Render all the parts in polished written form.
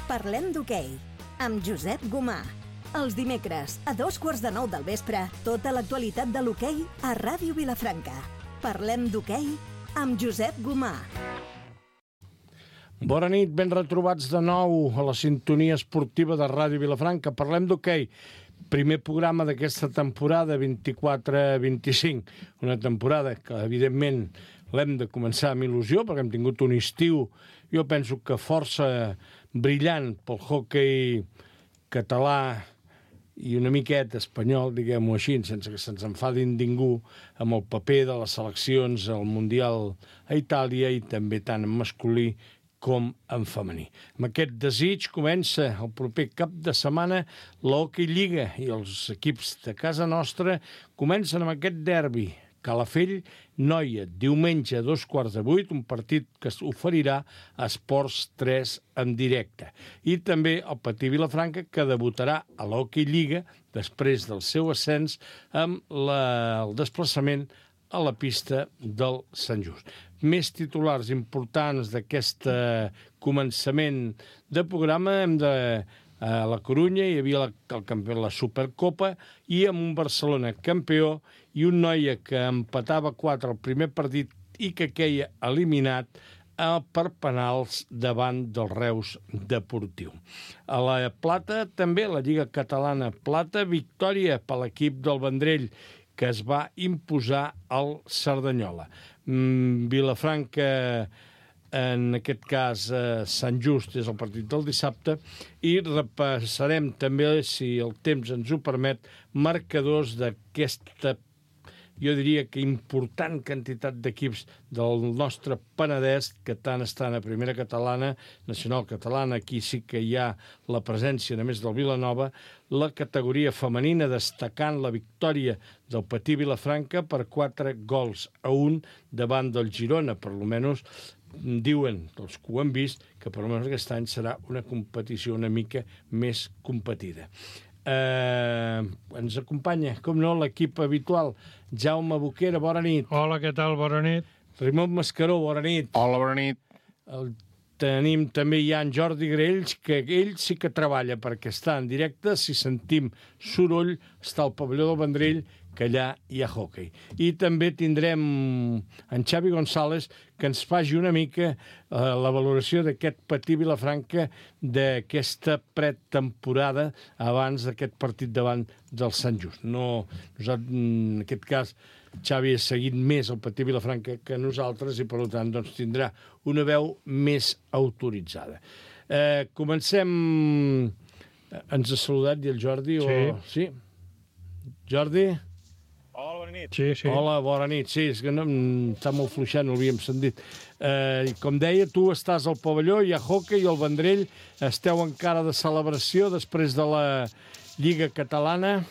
Parlem d'hoquei, amb Josep Gomà. Els dimecres, a 8:45 del vespre, tota l'actualitat de l'hoquei a Ràdio Vilafranca. Parlem d'hoquei amb Josep Gomà. Bona nit, ben retrobats de nou a la sintonia esportiva de Ràdio Vilafranca. Parlem d'hoquei. Primer programa d'aquesta temporada 24-25. Una temporada que, evidentment, l'hem de començar amb il·lusió, perquè hem tingut un estiu, jo penso que força brillant pel hoquei català i una miqueta espanyol, diguem-ho així, sense que se'ns enfadin ningú, amb el paper de les seleccions al Mundial a Itàlia i també tant en masculí com en femení. Amb aquest desig comença el proper cap de setmana l'Hockey Lliga i els equips de casa nostra comencen amb aquest derbi. Calafell-Noia, diumenge a 7:15, un partit que s'oferirà a Esports 3 en directe. I també el Patí Vilafranca, que debutarà a l'Hockey Lliga després del seu ascens amb el desplaçament a la pista del Sant Just. Més titulars importants d'aquest començament de programa hem de... A la Corunya hi havia el campió de la Supercopa i amb un Barcelona campió i un Noia que empatava 4 al primer partit i que queia eliminat per penals davant del Reus Deportiu. A la Plata també, la Lliga Catalana Plata, victòria per l'equip del Vendrell que es va imposar al Cerdanyola. Vilafranca, en aquest cas Sant Just, és el partit del dissabte, i repassarem també, si el temps ens ho permet, marcadors d'aquesta, jo diria que important quantitat d'equips del nostre Penedès que tant estan a primera catalana, nacional catalana, aquí sí que hi ha la presència només del Vilanova, la categoria femenina destacant la victòria del Patí Vilafranca per 4-1 davant del Girona, per almenys diuen els que ho han vist que per almenys aquest any serà una competició una mica més competida. Ens acompanya, com no, l'equip habitual. Jaume Boquera, bona nit. Hola, què tal? Bona nit. Raimon Mascaró, bona nit. Hola, bona nit. Tenim també ja en Jordi Grells, que ell sí que treballa perquè està en directe. Si sentim soroll, està al pavelló del Vendrell, que allà hi ha hoquei. I també tindrem en Xavi González, que ens faci una mica la valoració d'aquest Patí Vilafranca d'aquesta pretemporada abans d'aquest partit davant del Sant Just. En aquest cas, Xavi ha seguit més el Patí Vilafranca que nosaltres i, per tant, doncs, tindrà una veu més autoritzada. Comencem... Ens ha saludat i el Jordi? Sí. Jordi? Hola, bona nit. Sí. Hola, bona nit. Sí, és que no, està molt fluixant, no l'havíem sentit. Com deia, tu estàs al pavelló, hi ha hoquei i el Vendrell. Esteu encara de celebració després de la Lliga Catalana?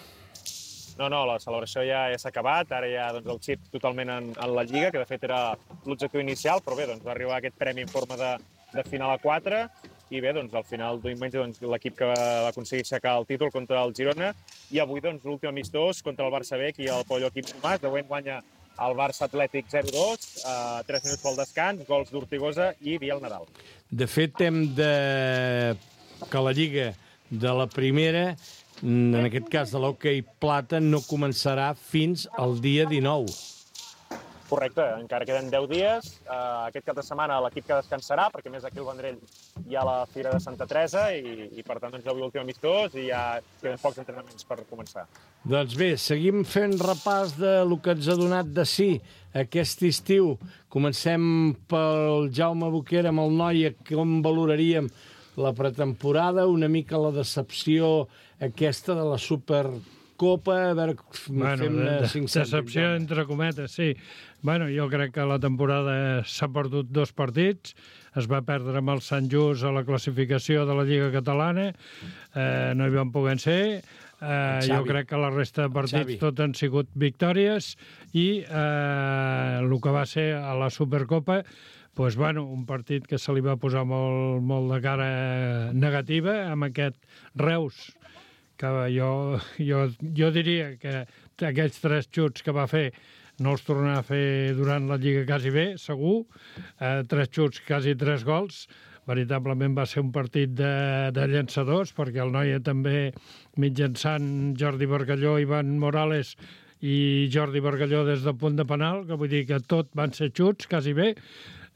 No, la celebració ja s'ha acabat. Ara ja el xip totalment en la Lliga, que de fet era l'objectiu inicial, però bé, va arribar aquest premi en forma de final a 4. I bé, al final diumenge l'equip que va aconseguir aixecar el títol contra el Girona i avui l'últim amistós contra el Barça B i el Pavelló Quim Tomàs. De moment guanya el Barça Atlètic 0-2, 3 minuts pel descans, gols d'Ortigosa i Biel Nadal. De fet, que la Lliga de la primera, en aquest cas de l'hoquei plata, no començarà fins al dia 19. Correcte, encara queden 10 dies. Aquest cap de setmana l'equip que descansarà, perquè més aquí al Vendrell hi ha la Fira de Santa Teresa i per tant, avui l'últim amistós i ja queden pocs entrenaments per començar. Doncs bé, seguim fent repàs del que ens ha donat de si aquest estiu. Comencem pel Jaume Boquera amb el Noia. Com valoraríem la pretemporada? Una mica la decepció aquesta de la Supercopa, a veure, fem 5 decepció entre cometes, sí. Jo crec que la temporada s'ha perdut 2 partits, es va perdre amb el Sant Just a la classificació de la Lliga Catalana, no hi van poder ser, jo crec que la resta de partits tots han sigut victòries i el que va ser a la Supercopa, un partit que se li va posar molt de cara negativa amb aquest Reus, que jo diria que aquells 3 xuts que va fer no els tornarà a fer durant la Lliga quasi bé, segur. 3 xuts, quasi 3 gols. veritablement va ser un partit de llançadors, perquè el Noia també, mitjançant Jordi Bargalló, Ivan Morales i Jordi Bargalló des del punt de penal, que vull dir que tot van ser xuts, quasi bé,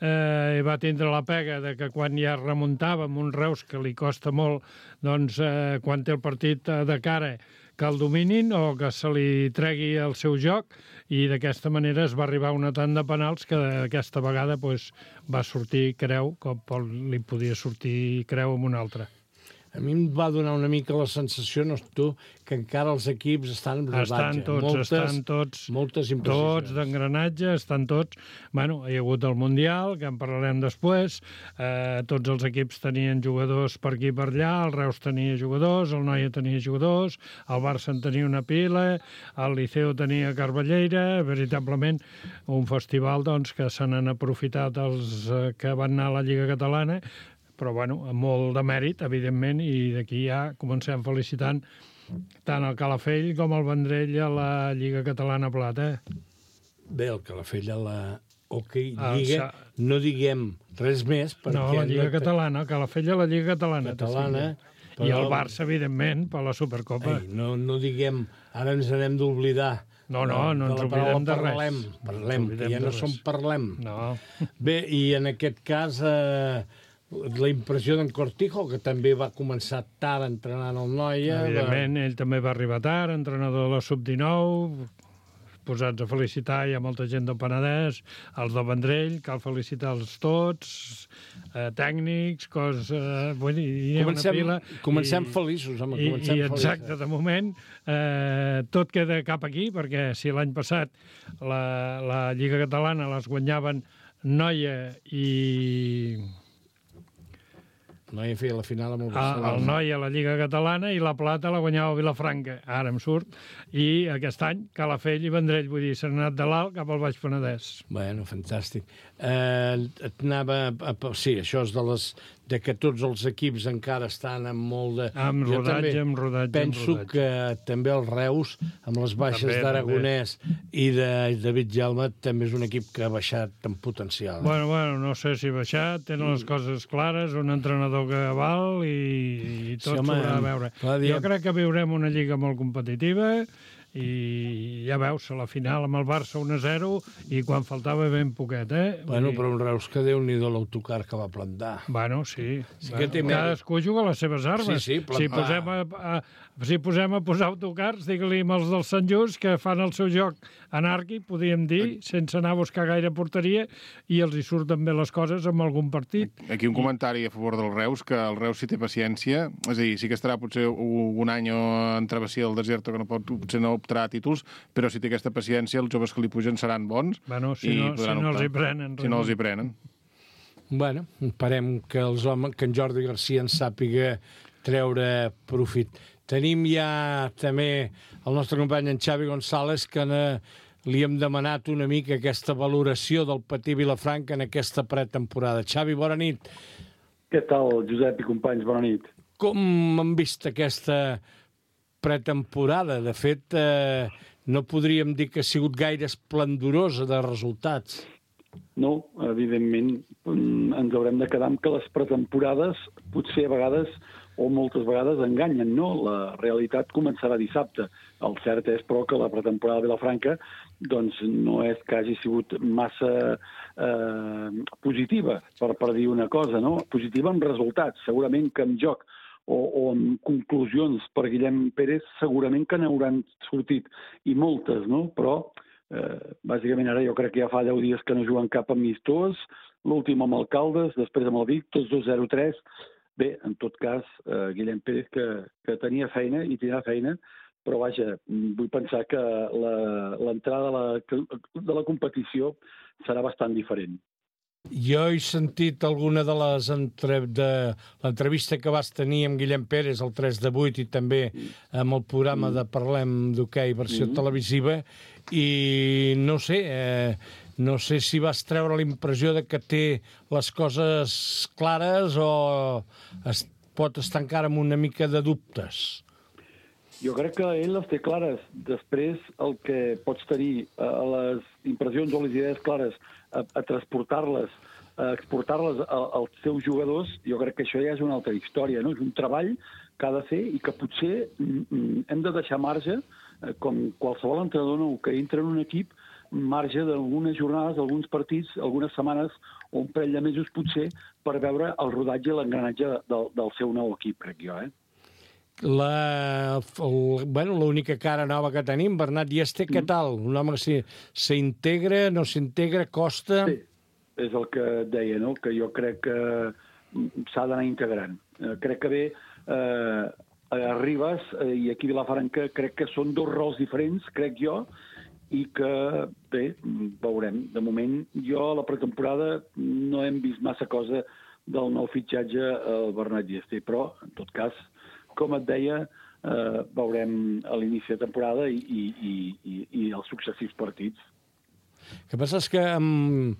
i va tindre la pega de que quan ja remuntava amb un Reus que li costa molt, doncs quan té el partit de cara que el dominin o que se li tregui el seu joc, i d'aquesta manera es va arribar a una tant de penals que aquesta vegada va sortir Creu, com li podia sortir Creu amb un altre. A mi em va donar una mica la sensació, no tu, que encara els equips estan en rodatge. Estan tots. Moltes imprecisions. Tots d'engranatge, estan tots. Bueno, hi ha hagut el Mundial, que en parlarem després. Tots els equips tenien jugadors per aquí i per allà. El Reus tenia jugadors, el Noia tenia jugadors, el Barça en tenia una pila, el Liceu tenia Carballeira. Veritablement, un festival doncs, que se n'han aprofitat els que van anar a la Lliga Catalana, però bueno, amb molt de mèrit, evidentment, i d'aquí ja comencem felicitant tant el Calafell com el Vendrell a la Lliga Catalana Plata. Bé, el Calafell a la Lliga, no diguem res més, perquè... No, la Lliga Catalana, el Calafell a la Lliga Catalana. Però... I el Barça, evidentment, per la Supercopa. No diguem, ara ens n'hem d'oblidar. No ens oblidem de res. Parlem, que ja no som parlem. No. Bé, i en aquest cas... la impressió d'en Cortijo, que també va començar tard entrenant el Noia... Evidentment, ell també va arribar tard, entrenador de la Sub-19, posats a felicitar, hi ha molta gent del Penedès, els del Vendrell, cal felicitar-los tots, tècnics, Comencem feliços, home, comencem feliços. Exacte, de moment, tot queda cap aquí, perquè si l'any passat la Lliga Catalana les guanyaven Noia i... Noia feia la final amb el Barcelona. El Noia a la Lliga Catalana i la Plata la guanyava Vilafranca, ara em surt, i aquest any Calafell i Vendrell, vull dir, s'han anat de l'alt cap al Baix Penedès. Bueno, fantàstic. Sí, això és de que tots els equips encara estan amb molt de... Amb rodatge. Penso que també el Reus, amb les baixes d'Aragonès i de David Jaume, també és un equip que ha baixat en potencial. Bueno, no sé si ha baixat, tenen les coses clares, un entrenador que val i tot s'haurà de veure. Jo crec que viurem una lliga molt competitiva i ja veus, a la final amb el Barça 1-0 i quan faltava ben poquet, Bueno, però un Reus que Déu-n'hi-do l'autocar que va plantar. Bueno, sí. Cadascú juga les seves armes. Sí, plantar. Si posem a posar autocars, digue-li els del Sant Just, que fan el seu joc anàrquic, podríem dir, sense anar a buscar gaire porteria, i els hi surten bé les coses amb algun partit. Aquí un comentari a favor del Reus, que el Reus, si té paciència, és a dir, sí que estarà potser un any en travessia del desert, que potser no optarà a títols, però si té aquesta paciència, els joves que li pugen seran bons. Bueno, si no els hi prenen. Si no els hi prenen. Bueno, esperem que en Jordi Garcia en sàpiga treure profit. Tenim ja també el nostre company en Xavi González, que li hem demanat una mica aquesta valoració del Patí Vilafranca en aquesta pretemporada. Xavi, bona nit. Què tal, Josep i companys? Bona nit. Com han vist aquesta pretemporada? De fet, no podríem dir que ha sigut gaire esplendorosa de resultats. No, evidentment, ens haurem de quedar amb que les pretemporades potser a vegades o moltes vegades enganyen, no? La realitat començarà dissabte. El cert és, però, que la pretemporada de Vilafranca doncs, no és que hagi sigut massa positiva, per dir una cosa, no? Positiva amb resultats. Segurament que en joc o amb conclusions per Guillem Pérez segurament que n'hauran sortit, i moltes, no? Però, bàsicament, ara jo crec que ja fa 10 dies que no juguen cap amistós, l'últim amb Alcaldes, després amb el Vic, tots 2-0-3. Bé, en tot cas, Guillem Pérez que tenia feina i tindrà feina, però vaja, vull pensar que l'entrada de la competició serà bastant diferent. Jo he sentit alguna de l'entrevista que vas tenir amb Guillem Pérez el 3/8 i també amb el programa de Parlem d'Hoquei versió televisiva, i no sé si vas treure la impressió de que té les coses clares o pot estar encara amb una mica de dubtes. Jo crec que ell les té clares. Després, el que pots tenir a les impressions o les idees clares, a transportar-les exportar-les als seus jugadors, jo crec que això ja és una altra història, no? És un treball que ha de fer i que potser hem de deixar marge, com qualsevol entrenador nou que entra en un equip, marge d'algunes jornades, alguns partits, algunes setmanes o un parell de mesos potser per veure el rodatge i l'engranatge del seu nou equip, crec jo, L'única cara nova que tenim, Bernat Dieste, què tal? Un home que s'integra, no s'integra, costa... Sí, és el que et deia, no? Que jo crec que s'ha d'anar integrant. Crec que bé, a Ribas i aquí a Vilafranca crec que són dos rols diferents, crec jo, i que, bé, veurem. De moment, jo a la pretemporada no hem vist massa cosa del nou fitxatge al Bernat Dieste, però, en tot cas, com et deia, veurem a l'inici de temporada i els successius partits. El que passa és que amb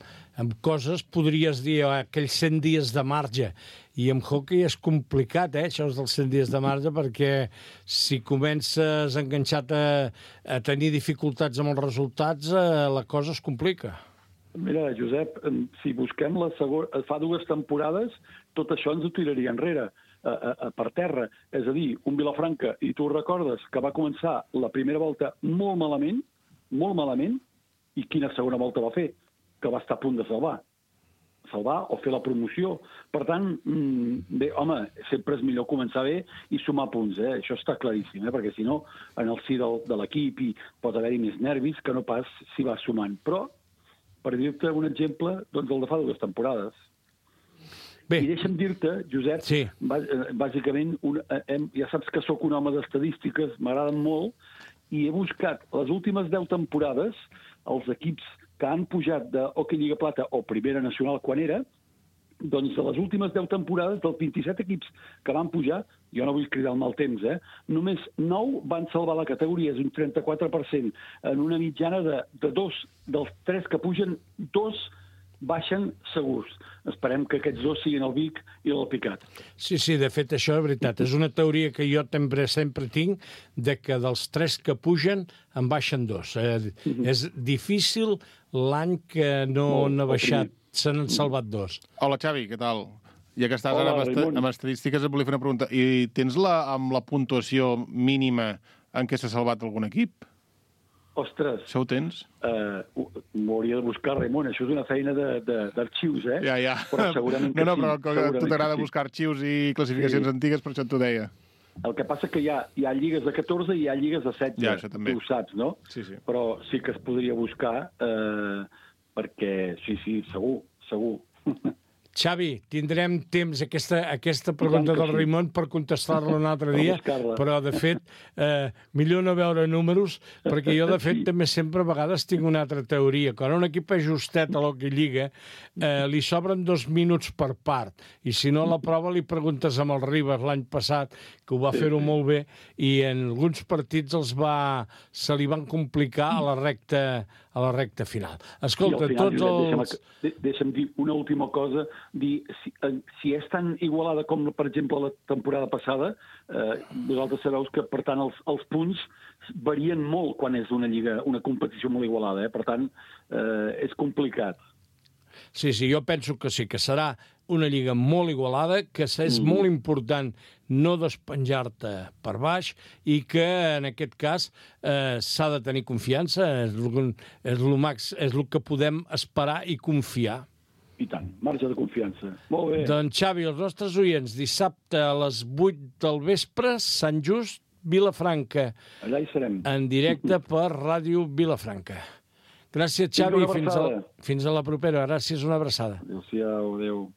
coses podries dir aquells 100 dies de marge, i amb hockey és complicat, això dels 100 dies de marge, perquè si comences enganxat a tenir dificultats amb els resultats, la cosa es complica. Mira, Josep, si busquem fa 2 temporades, tot això ens ho tiraria enrere, per terra. És a dir, un Vilafranca, i tu recordes que va començar la primera volta molt malament, i quina segona volta va fer? Que va estar a punt de salvar o fer la promoció. Per tant, bé, home, sempre és millor començar bé i sumar punts, això està claríssim, perquè si no, en el si de l'equip pot haver-hi més nervis que no pas si va sumant. Però, per dir-te un exemple, doncs el de fa 2 temporades. Bé. I deixa'm dir-te, Josep, sí. Bàsicament, ja saps que sóc un home d'estadístiques, m'agraden molt, i he buscat les últimes 10 temporades, els equips que han pujat de Hockey Lliga Plata o Primera Nacional quan era, doncs de les últimes 10 temporades, dels 27 equips que van pujar, jo no vull cridar el mal temps, només 9 van salvar la categoria, és un 34%, en una mitjana de 2, dels 3 que pugen, 2 baixen segurs. Esperem que aquests 2 siguin el Vic i l'Alpicat. Sí, de fet, això és veritat. És una teoria que jo sempre tinc, de que dels 3 que pugen en baixen 2. És difícil l'any que no han baixat, se n'han salvat 2. Hola, Xavi, què tal? Ja que estàs ara amb estadístiques, et volia fer una pregunta. I tens amb la puntuació mínima en què s'ha salvat algun equip? Ostres. Això ho tens? M'ho hauria de buscar, Raimon. Això és una feina d'arxius, Ja. Però segurament que però a tu t'agrada buscar arxius i classificacions antigues, per això t'ho deia. El que passa que hi ha lligues de 14 i hi ha lligues de 16. Ja, això també. Tu ho saps, no? Sí. Però sí que es podria buscar, perquè sí, segur. Xavi, tindrem temps aquesta pregunta del Raimon per contestar-la un altre dia, però, de fet, millor no veure números, perquè jo, de fet, també sempre a vegades tinc una altra teoria. Quan un equip és justet a l'Hockey Lliga, li sobren 2 minuts per part, i si no, a la prova li preguntes amb el Ribas l'any passat, que ho va fer-ho molt bé, i en alguns partits se li van complicar a la recta final. Escolta, tots els... Deixa'm dir una última cosa, si és tan igualada com, per exemple, la temporada passada, vosaltres sabeu que, per tant, els punts varien molt quan és una competició molt igualada, per tant, és complicat. Sí, jo penso que sí, que serà una lliga molt igualada, que és molt important no despenjar-te per baix i que, en aquest cas, s'ha de tenir confiança, és el que podem esperar i confiar. I tant, marge de confiança. Molt bé. Doncs, Xavi, els nostres oients, dissabte a les 8 del vespre, Sant Just, Vilafranca. Allà hi serem. En directe per Ràdio Vilafranca. Gràcies, Xavi, fins a la propera. Gràcies, una abraçada. Adéu-siau, adéu.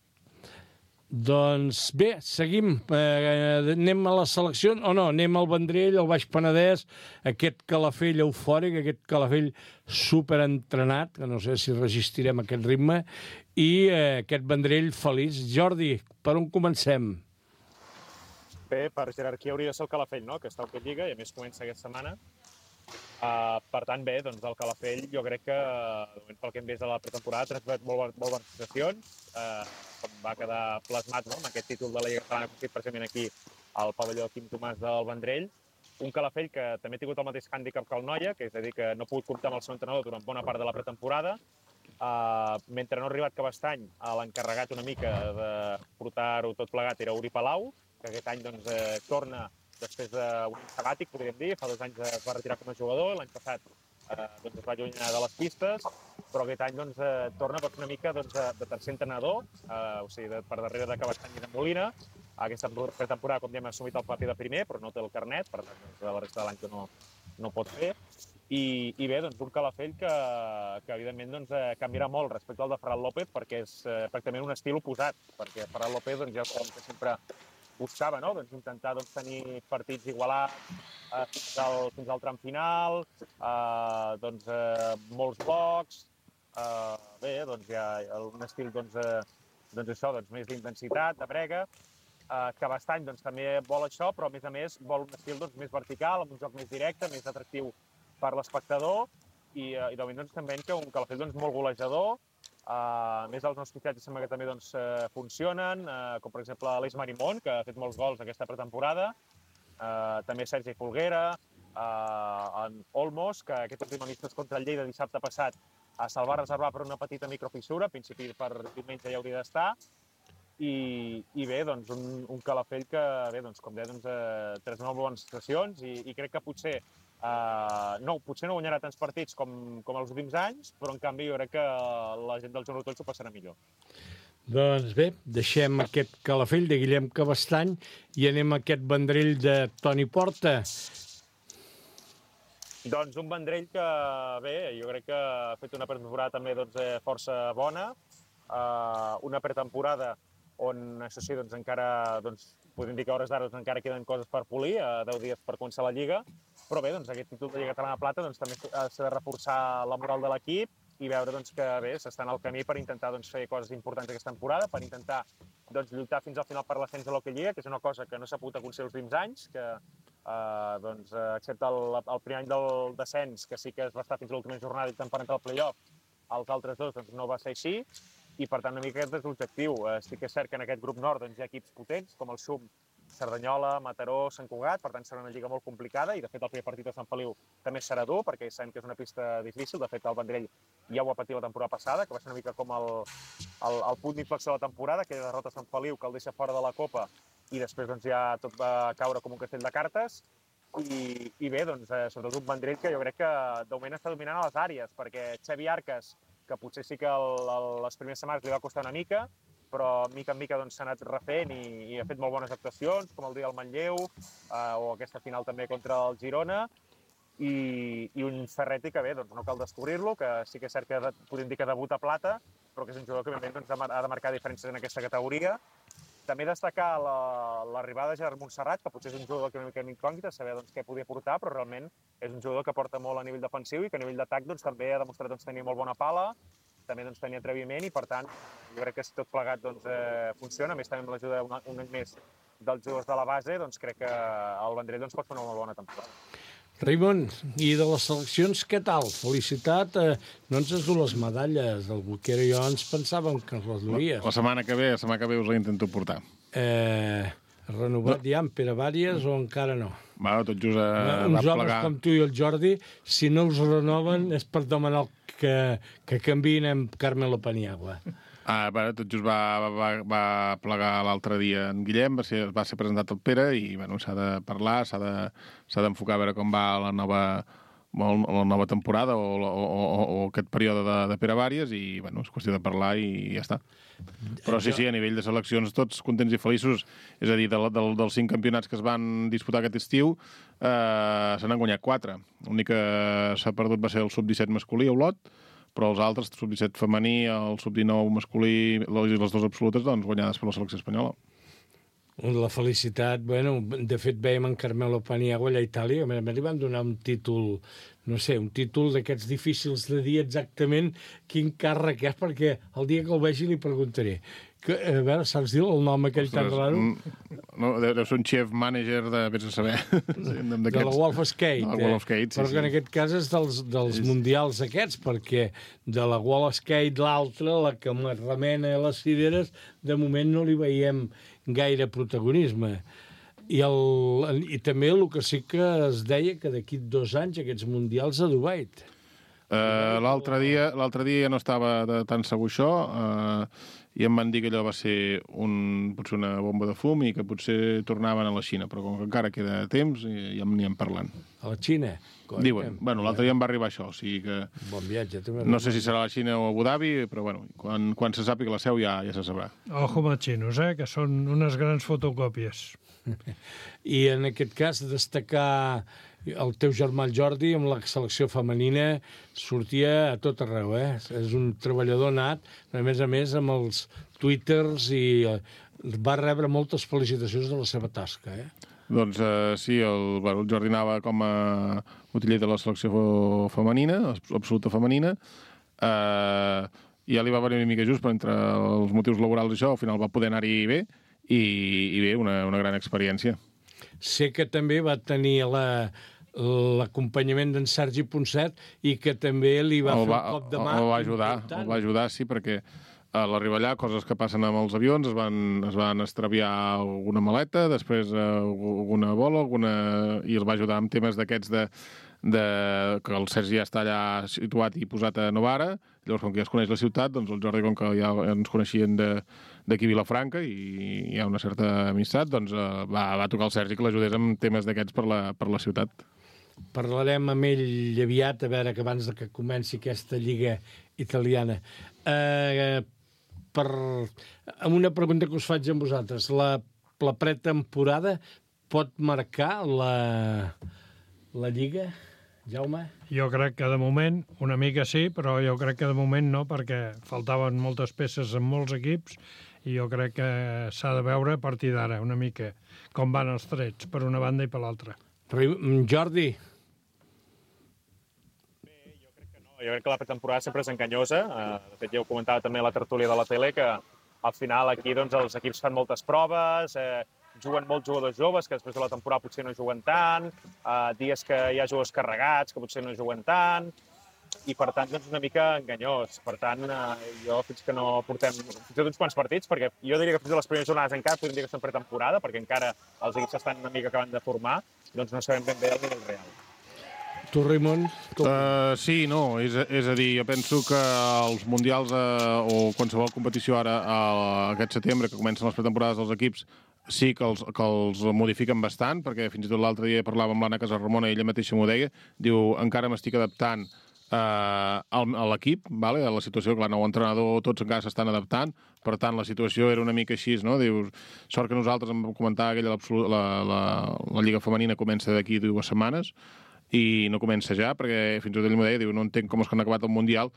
Doncs bé, seguim. Anem a la selecció, o no? Anem al Vendrell, al Baix Penedès, aquest Calafell eufòric, aquest Calafell superentrenat, que no sé si resistirem aquest ritme, i aquest Vendrell feliç. Jordi, per on comencem? Bé, per jerarquia hauria de ser el Calafell, no?, que està a Lliga, i a més comença aquesta setmana. Per tant, bé, doncs el Calafell jo crec que, pel que hem vist de la pretemporada, ha transmet molt bones sensacions, com va quedar plasmat, no?, amb aquest títol de la Lliga Catalana aconseguit precisament aquí al pavelló Quim Tomàs del Vendrell. Un Calafell que també ha tingut el mateix hàndicap que el Noia, que és a dir, que no ha pogut comptar amb el seu entrenador durant bona part de la pretemporada, mentre no ha arribat Cabestany, l'encarregat una mica de portar-ho tot plegat era Uri Palau, que aquest any doncs, torna després d'un any sabàtic, podríem dir. Fa 2 anys es va retirar com a jugador, l'any passat doncs, es va allunyar de les pistes, però aquest any doncs, torna una mica doncs, de tercer entrenador, o sigui, per darrere de Cabestany i de Molina. Aquesta pretemporada, com diem, ha assumit el paper de primer, però no té el carnet, per tant, doncs, la resta de l'any que no pot fer. I bé, doncs, un Calafell que evidentment, doncs, canviarà molt respecte al de Ferran López, perquè és pràcticament un estil oposat, perquè Ferran López doncs, ja sabem que sempre buscava, no? Doncs, intentar doncs, tenir partits igualats fins al tram final, doncs, molts blocs, bé, doncs, hi ha un estil doncs, això, doncs, més d'intensitat, de brega. Cabestany doncs, també vol això, però a més vol un estil doncs, més vertical, amb un joc més directe, més atractiu per l'espectador, i de moment doncs, també que un Calafell doncs, molt golejador. A més, els nous fitxatges sembla que també doncs, funcionen, com per exemple l'Eix Marimón, que ha fet molts gols aquesta pretemporada, també Sergi Folguera, en Olmos, que aquest últim amistos contra el Lleida dissabte passat se'l va reservar per una petita microfissura, en principi per diumenge ja hauria d'estar, i bé, doncs, un Calafell que, bé, doncs, com deia, doncs, 3 molt bones sessions, i crec que potser no guanyarà tants partits com els últims anys, però en canvi jo crec que la gent del Joan Rotoll s'ho passarà millor. Doncs bé, deixem aquest Calafell de Guillem Cabestany i anem a aquest Vendrell de Toni Porta. Doncs un Vendrell que, bé, jo crec que ha fet una pretemporada també doncs, força bona, una pretemporada on, això sí, doncs, encara podem dir que a hores d'ara encara queden coses per polir, 10 dies per començar la Lliga, però bé, doncs, aquest títol de Lliga Catalana de Plata doncs, també s'ha de reforçar la moral de l'equip i veure doncs, que bé, s'estan al camí per intentar doncs, fer coses importants aquesta temporada, per intentar doncs, lluitar fins al final per l'ascens de l'Hockey Lliga, que és una cosa que no s'ha pogut aconseguir els últims anys, que doncs, excepte el primer any del descens, que sí que es va estar fins a l'última jornada i tant per entrar al play-off, els altres dos doncs, no va ser així, i per tant una mica aquest és l'objectiu. Sí que és cert que en aquest grup nord doncs, hi ha equips potents, com el SUM, Cerdanyola, Mataró, Sant Cugat, per tant serà una lliga molt complicada, i de fet el primer partit a Sant Feliu també serà dur, perquè sabem que és una pista difícil. De fet el Vendrell ja ho va patir la temporada passada, que va ser una mica com el punt d'inflexió de la temporada, que derrota Sant Feliu, que el deixa fora de la Copa, i després doncs, ja tot va caure com un castell de cartes. I bé, doncs, sobretot un Vendrell que jo crec que de moment està dominant a les àrees, perquè Xavi Arcas, que potser sí que les primeres setmanes li va costar una mica, però mica en mica doncs, s'ha anat refent i ha fet molt bones actuacions, com el dia del Manlleu, o aquesta final també contra el Girona, i un Ferretti que bé, doncs, no cal descobrir-lo, que sí que és cert que podem dir que debuta a Plata, però que és un jugador que doncs, ha de marcar diferències en aquesta categoria. També destacar l'arribada de Gerard Montserrat, que potser és un jugador que una mica incògnita, saber doncs, què podia portar, però realment és un jugador que porta molt a nivell defensiu i que a nivell d'atac doncs, també ha demostrat doncs, tenir molt bona pala, també doncs, tenir atreviment, i per tant jo crec que si tot plegat doncs, funciona, a més també amb l'ajuda un any més dels jugadors de la base, doncs crec que el Vendrell doncs, pot fer una molt bona temporada. Raimon, i de les seleccions, què tal? Felicitat, no ens has dut les medalles del Boquero, jo ens pensàvem que ens les duries. La setmana que ve us la intento portar. Renovat ja en Pere Vàries o encara no? Va, tot just uns homes com tu i el Jordi, si no us renoven és per demanar que canviïn amb Carmelo Paniagua. Tot just va plegar l'altre dia en Guillem, va ser presentat el Pere i s'ha de parlar, s'ha d'enfocar a veure com va la nova temporada o aquest període de Pere Vàries i és qüestió de parlar i ja està. Però sí, a nivell de seleccions tots contents i feliços, és a dir, dels 5 campionats que es van disputar aquest estiu se n'han guanyat 4. L'únic que s'ha perdut va ser el sub-17 masculí a Olot, però els altres, el sub-17 femení, el sub-19 masculí i les dues absolutes, doncs, guanyades per la selecció espanyola. La felicitat, de fet veiem en Carmelo Paniagua allà a Itàlia, que li van donar un títol, no sé, un títol d'aquests difícils de dir exactament quin càrrec és, perquè el dia que el vegi li preguntaré. A veure, saps dir el nom aquell tan raro? No, deu ser un chef manager de, vés a saber, de la Wolf Skate. De la Wolf Skate, sí. Però que en aquest cas és dels mundials aquests, perquè de la Wolf Skate l'altra, la que remena a les cireres, de moment no li veiem gaire protagonisme. I també el que sí que es deia que d'aquí 2 anys aquests mundials a Dubai. L'altre dia ja no estava tan segur això, i em van dir que allò va ser potser una bomba de fum i que potser tornaven a la Xina, però com que encara queda temps, ja n'hi hem parlant. A la Xina? Diuen. Bueno, l'altre dia em va arribar això, o sigui que... Bon viatge. No sé si serà a la Xina o a Abu Dhabi, però bueno, quan se sàpiga la seu ja se sabrà. Ojo amb els xinos, que són unes grans fotocòpies. I en aquest cas destacar el teu germà Jordi amb la selecció femenina sortia a tot arreu, És un treballador nat, a més amb els twitters i va rebre moltes felicitacions de la seva tasca, Doncs sí, el Jordi anava com a utiller de la selecció femenina, absoluta femenina, i ja li va venir una mica just, però entre els motius laborals i això, al final va poder anar-hi bé, i bé, una gran experiència. Sé que també va tenir l'acompanyament d'en Sergi Ponset i que també li va fer un cop de mà. El va ajudar, sí, perquè a l'arribar allà, coses que passen amb els avions, es van extraviar alguna maleta, després alguna bola, i els va ajudar amb temes d'aquests que el Sergi ja està allà situat i posat a Novara. Llavors, com que ja es coneix la ciutat, doncs el Jordi, com que ja ens coneixien d'aquí Vilafranca i hi ha una certa amistat, doncs va tocar el Sergi que l'ajudés amb temes d'aquests per la ciutat. Parlarem amb ell aviat, a veure que abans que comenci aquesta lliga italiana. Amb una pregunta que us faig a vosaltres. La pretemporada pot marcar la lliga, Jaume? Jo crec que de moment una mica sí, però jo crec que de moment no, perquè faltaven moltes peces en molts equips i jo crec que s'ha de veure a partir d'ara una mica com van els trets per una banda i per l'altra. Jordi? Jo crec que la pretemporada sempre és enganyosa. De fet, ja ho comentava també a la tertúlia de la tele, que al final aquí doncs, els equips fan moltes proves, juguen molts jugadors joves que després de la temporada potser no juguen tant, dies que hi ha jugadors carregats que potser no juguen tant, i per tant doncs, una mica enganyós. Per tant, jo fins que no portem uns quants partits, perquè jo diria que fins a les primeres jornades encara podríem dir que són pretemporada, perquè encara els equips estan una mica acabant de formar, doncs no sabem ben bé el nivell real. Tu, Raimon? Sí, no, és a dir, jo penso que els mundials o qualsevol competició ara aquest setembre, que comencen les pretemporades dels equips, sí que els modifiquen bastant, perquè fins i tot l'altre dia parlava amb l'Anna Casarramona i ella mateixa m'ho deia, diu, encara m'estic adaptant a l'equip, a la situació, clar, nou entrenador, tots encara s'estan adaptant, per tant, la situació era una mica així, no? Dius, sort que nosaltres, em comentava que la Lliga Femenina comença d'aquí 2 setmanes, i no comença ja, perquè fins i tot ell m'ho deia, diu, no entenc com és que han acabat el Mundial.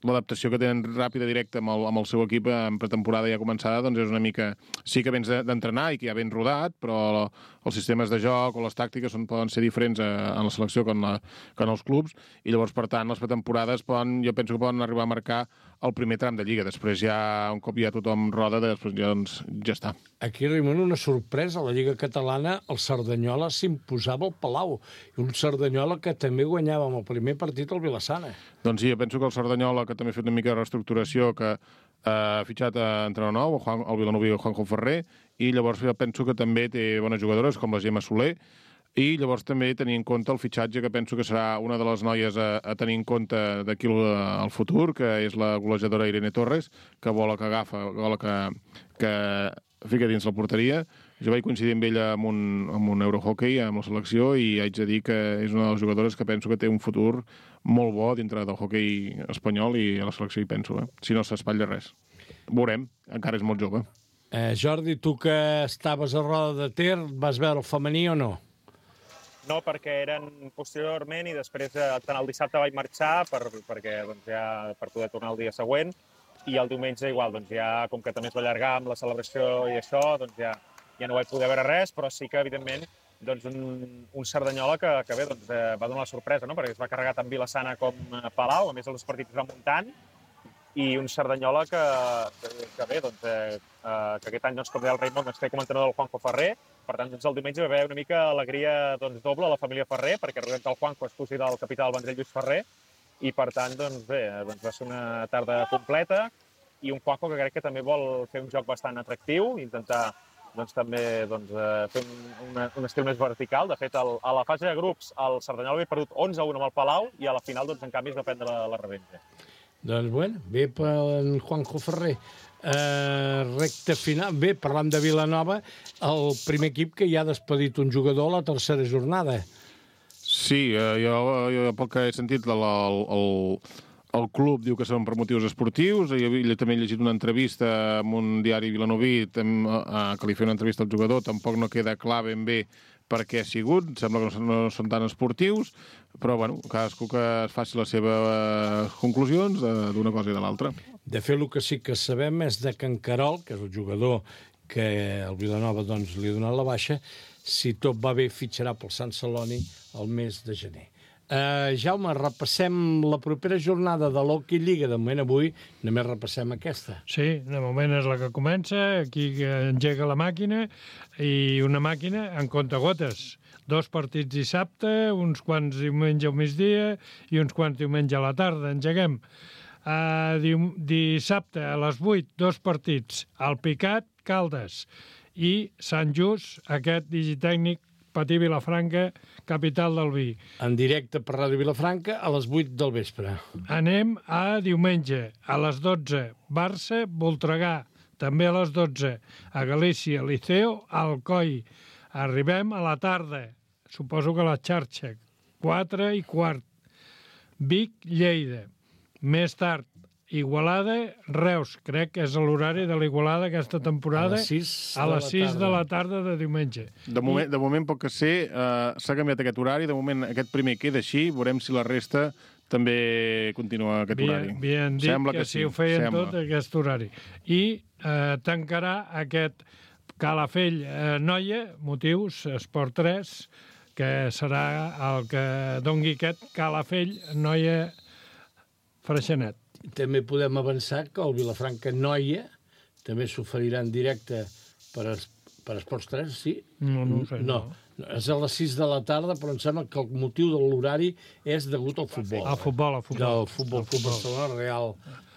L'adaptació que tenen ràpida, directa amb el seu equip en pretemporada ja començada, doncs és una mica... Sí que vens d'entrenar i que ja ben rodat, però els sistemes de joc o les tàctiques poden ser diferents en la selecció que en els clubs, i llavors, per tant, les pretemporades jo penso que poden arribar a marcar el primer tram de Lliga. Després ja, un cop ja tothom roda, després ja està. Aquí, Raimon, una sorpresa. A la Lliga Catalana, el Cerdanyola s'imposava al Palau. I un Cerdanyola que també guanyava amb el primer partit al Vilassana. Doncs sí, jo penso que el Cerdanyola, que també ha fet una mica de reestructuració, que ha fitxat entrenador nou, el vilanoví Juanjo Ferrer, i llavors jo penso que també té bones jugadores, com la Gemma Soler, i llavors també tenir en compte el fitxatge, que penso que serà una de les noies a tenir en compte d'aquí al futur, que és la golejadora Irene Torres, que bola que agafa, bola que fica dins la porteria. Jo vaig coincidir amb ella amb un Eurohockey, amb la selecció, i haig de dir que és una de les jugadores que penso que té un futur molt bo dintre del hoquei espanyol, i a la selecció hi penso, si no s'espatlla res. Veurem, encara és molt jove. Jordi, tu que estaves a Roda de Ter, vas veure el femení o no? No, perquè eren posteriorment i després tant el dissabte vaig marxar perquè doncs, ja per poder tornar el dia següent, i el diumenge igual, doncs ja com que també es va allargar amb la celebració i això, doncs ja no vaig poder veure res, però sí que evidentment doncs un Cerdanyola que bé, doncs, va donar la sorpresa, no? Perquè es va carregar tant Vilassana com Palau, a més els partits es van muntant, i un Cerdanyola que bé, doncs, que aquest any, doncs, com deia el Raimon, doncs, té com a entrenador el Juanjo Ferrer. Per tant, doncs, el diumenge va haver una mica alegria doble a la família Ferrer, perquè recordem que el Juanjo és cosí del capità del Vendrell Lluís Ferrer, i per tant, doncs, bé, va ser una tarda completa, i un Juanjo que crec que també vol fer un joc bastant atractiu, intentar doncs, també fer un estil més vertical. De fet, a la fase de grups, el Cerdanyola havia perdut 11-1 amb el Palau i a la final, doncs, en canvi, es va prendre la revenja. Doncs, bueno, bé per en Juanjo Ferrer. Recte final. Bé, parlant de Vilanova, el primer equip que ja ha despedit un jugador a la tercera jornada. Sí, jo pel que he sentit, el club diu que són per motius esportius. Jo també he llegit una entrevista amb un diari vilanoví que li feia una entrevista al jugador. Tampoc no queda clar ben bé per què ha sigut. Sembla que no són tan esportius, però bueno, cadascú que es faci les seves conclusions d'una cosa i de l'altra. De fet, el que sí que sabem és de que en Carol, que és el jugador que el Vilanova doncs, li ha donat la baixa, si tot va bé, fitxarà pel Sant Celoni el mes de gener. Jaume, repassem la propera jornada de l'Hockey Lliga. De moment avui només repassem aquesta. Sí, de moment és la que comença, aquí engega la màquina, i una màquina en comptagotes. 2 partits dissabte, uns quants diumenge al migdia i uns quants diumenge a la tarda. Engeguem. Dissabte a les 8, 2 partits. El Picat, Caldes, i Sant Just, aquest digitècnic, Patí Vilafranca, capital del vi. En directe per Ràdio Vilafranca a les 8 del vespre. Anem a diumenge, a les 12, Barça, Voltregà, també a les 12, a Galícia, Liceo, Alcoi. Arribem a la tarda, suposo que a la xarxa, 4:15, Vic, Lleida. Més tard, Igualada, Reus. Crec que és l'horari de l'Igualada aquesta temporada. A les 6 de la tarda de diumenge. De moment pot que ser, s'ha canviat aquest horari. De moment aquest primer queda així. Veurem si la resta també continua aquest horari. Havien dit que sí, ho feien tot aquest horari. I tancarà aquest Calafell-Noia, motius, Esport 3, que serà el que dongui aquest Calafell-Noia Freixenet. També podem avançar que el Vilafranca-Noia també s'oferirà en directe per Esports 3, sí? No ho sé. No, és a les 6 de la tarda, però em sembla que el motiu de l'horari és degut al futbol. Al futbol. Del futbol Barcelona, Real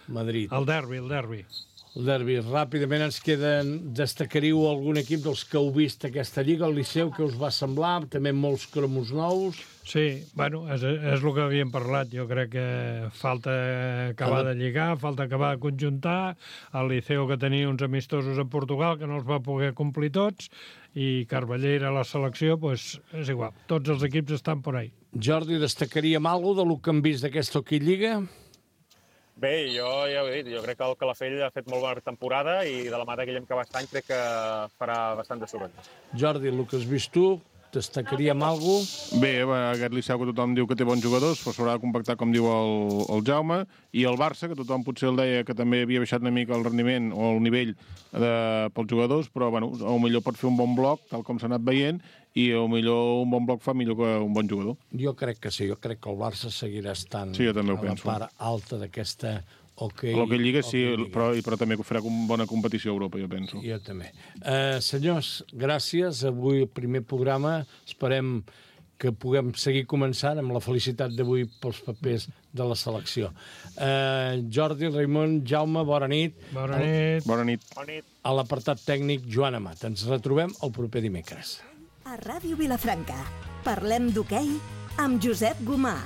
Madrid. El derbi. El derbi. Ràpidament ens queden... Destacaríeu algun equip dels que heu vist aquesta Lliga, el Liceu, que us va semblar? També molts cromos nous. Sí, bueno, és el que havíem parlat. Jo crec que falta acabar de lligar, falta acabar de conjuntar. El Liceu, que tenia uns amistosos a Portugal, que no els va poder complir tots, i Carballera a la selecció, doncs és igual. Tots els equips estan por ahí. Jordi, destacaríem alguna cosa del que hem vist d'aquesta Hockey Lliga? Bé, jo ja ho he dit, jo crec que el Calafell ha fet molt bona temporada i de la mà de Guillem Cabestany crec que farà bastant de soroll. Jordi, el que has vist tu, destacaríem alguna cosa? Bé, aquest Liceu que tothom diu que té bons jugadors, però s'haurà de compactar, com diu el Jaume, i el Barça, que tothom potser el deia que també havia baixat una mica el rendiment o el nivell pels jugadors, però bueno, millor pot fer un bon bloc, tal com s'ha anat veient, i millor un bon bloc fa millor que un bon jugador. Jo crec que sí, jo crec que el Barça seguirà estant sí, a la part alta d'aquesta Hockey Lliga, sí, però també farà bona competició a Europa, jo penso. Jo també. Senyors, gràcies. Avui el primer programa. Esperem que puguem seguir començant amb la felicitat d'avui pels papers de la selecció. Jordi, Raimon, Jaume, bona nit. Bona nit. Bona nit. A l'apartat tècnic, Joan Amat. Ens retrobem el proper dimecres. A Ràdio Vilafranca, parlem d'hoquei amb Josep Gomà.